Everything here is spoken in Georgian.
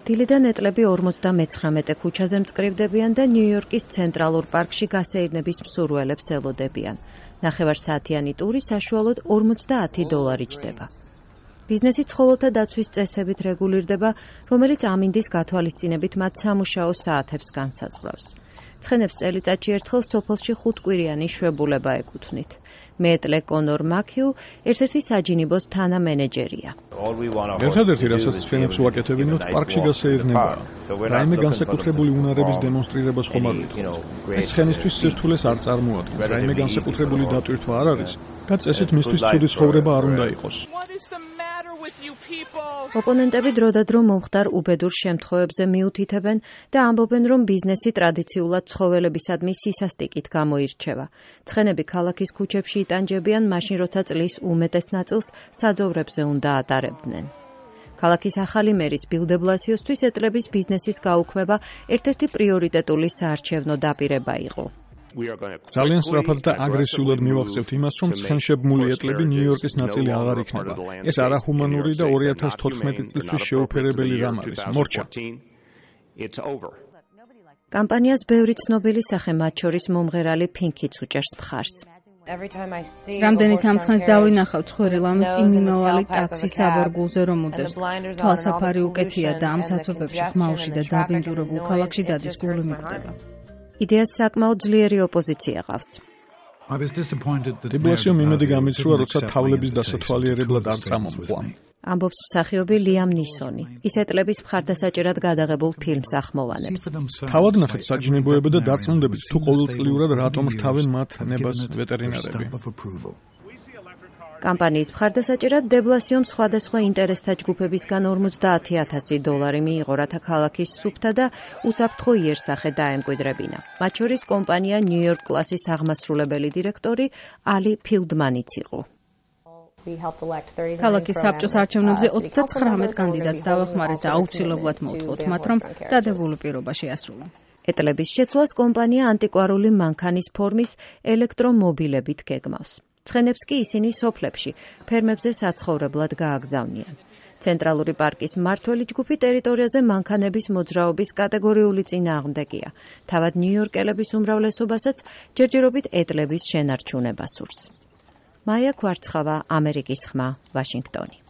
დილიდან ეტლები 59 ქუჩაზე მწკრივდებიან და ნიუ-იორკის ცენტრალურ პარკში გასეირნების მსურველებს ელოდებიან. ნახევარსაათიანი ტური საშუალოდ $50 ჯდება. ბიზნესი ცხოველთა დაცვის წესებით რეგულირდება, რომელიც ამინდის გათვალისწინებით მათ სამუშაო საათებს განსაზღვრავს. ცხენებს წელიწადში ერთხელ სოფელში 5 კვირიანი შვებულება ეკუთვნით. მეტლე კონორ მაქიუ ერთ-ერთი საჯინიბოს თანამენეჯერია. ერთადერთი, რასაც ცხენებს ვაკეთებინოთ, პარკში გასეირნებაა. რაიმე განსაკუთრებული უნარების დემონსტრირებას ხომ არ ვითხოვთ. ეს ცხენისთვის სირთულეს არ წარმოადგენს. რაიმე განსაკუთრებული დატვირთვა არ არის და წესით მისთვის ცუდი ცხოვრება არ უნდა იყოს. ოპონენტები დროდადრო მომხდარ უბედურ შემთხვევებზე მიუთითებენ და ამბობენ, რომ ბიზნესი ტრადიციულად ცხოველებისადმი სისასტიკით გამოირჩევა. ცხენები ქალაქის ქუჩებში იტანჯებიან, მაშინ როცა წლის უმეტეს ნაწილს საძოვრებზე უნდა ატარებდნენ. ქალაქის ახალი მერის ბილ დე ბლასიოსთვის ეტლების ბიზნესის გაუქმება ერთ-ერთი პრიორიტეტული საარჩევნო დაპირება იყო. ძალიან სწრაფად და აგრესიულად მივახცევთ იმას, რომ ცხენშებმული ეტლები ნიუ-იორკის ნაწილი აღარ იქნება. ეს არახუმანური და 2014 წლისთვის შეუფერებელი რამ არის. მორჩა. კამპანიას ბევრი ცნობილი სახე, მათ შორის მომღერალი ფინკიც უჭერს მხარს. რამდენით ამ ცხენს დავინახავ ცხვირი ლამის წინ მიმავალი ტაქსის აბორგულზე რომ უდევს. თვალსაფარი უკეთია და ამ საცობებში ხმაუში და დაბინძურებულ ქალაქში დადის გული მიკვდება. იდეას საკმაოდ ძლიერი ოპოზიცია ყავს. დე ბლასიომ იმედი გამიცრუა, როცა თავლების დასათვალიერებლად არ წამომყვა. ამბობს მსახიობი ლიამ ნისონი. ის ეტლების მხარდასაჭერად გადაღებულ ფილმს ახმოვანებს. თავად ნახეთ საჯინებოება და დარწმუნდებით, თუ ყოველწლიურად რატომ რთავენ მათ ნებას ვეტერინარები. კამპანიის მხარდასაჭერად დე ბლასიომ სხვადასხვა ინტერესთა ჯგუფებისგან $50,000 მიიღო, რათა ქალაქის სუფთა და უსაფრთხო იერსახე დაემკვიდრებინა. მათ შორის კომპანია ნიუ-იორკ კლასის აღმასრულებელი დირექტორი ალი ფილდმანიც იყო. ქალაქის საბჭოს არჩევნებზე 39 კანდიდატს დავახმარეთ და აუცილებლად მოვთხოვთ მათ, რომ დადებული პირობა შეასრულონ. ეტლების შეცვლას კომპანია ანტიკვარული მანქანის ფორმის ელექტრომობილებით გეგმავს. ცხენებს კი ისინი სოფლებში, ფერმებზე საცხოვრებლად გააგზავნიან. ცენტრალური პარკის მმართველი ჯგუფი ტერიტორიაზე მანქანების მოძრაობის კატეგორიული წინააღმდეგია. თავად ნიუ-იორკელების უმრავლესობასაც ჯერჯერობით ეტლების შენარჩუნება სურს. მაია ქვარცხავა, ამერიკის ხმა, ვაშინგტონი.